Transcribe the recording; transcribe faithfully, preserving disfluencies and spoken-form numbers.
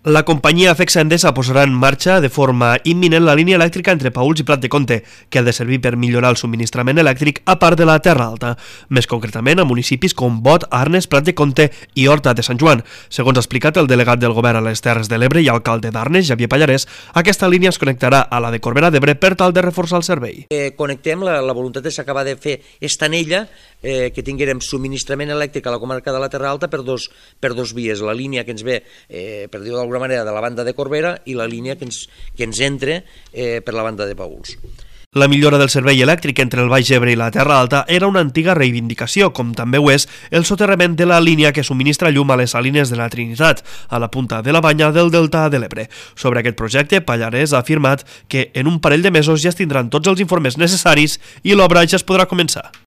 La companyia Afexa Endesa posarà en marxa de forma imminent la línia elèctrica entre Paüls i Prat de Comte, que ha de servir per millorar el subministrament elèctric a part de la Terra Alta, més concretament a municipis com Bot, Arnes, Prat de Comte i Horta de Sant Joan. Segons ha explicat el delegat del govern a les Terres de l'Ebre i alcalde d'Arnes, Xavier Pallarès, aquesta línia es connectarà a la de Corbera d'Ebre per tal de reforçar el servei. Eh, connectem, la, la voluntat és acabar de fer estanella, eh, que tinguérem subministrament elèctric a la comarca de la Terra Alta per dos, per dos vies, la línia que ens ve, eh, per dir-ho d'alguna manera, de la banda de Corbera i la línia que ens, que ens entre eh, per la banda de Paüls. La millora del servei elèctric entre el Baix Ebre i la Terra Alta era una antiga reivindicació, com també ho és el soterrament de la línia que subministra llum a les salines de la Trinitat, a la punta de la banya del Delta de l'Ebre. Sobre aquest projecte, Pallarès ha afirmat que en un parell de mesos ja es tindran tots els informes necessaris i l'obra ja es podrà començar.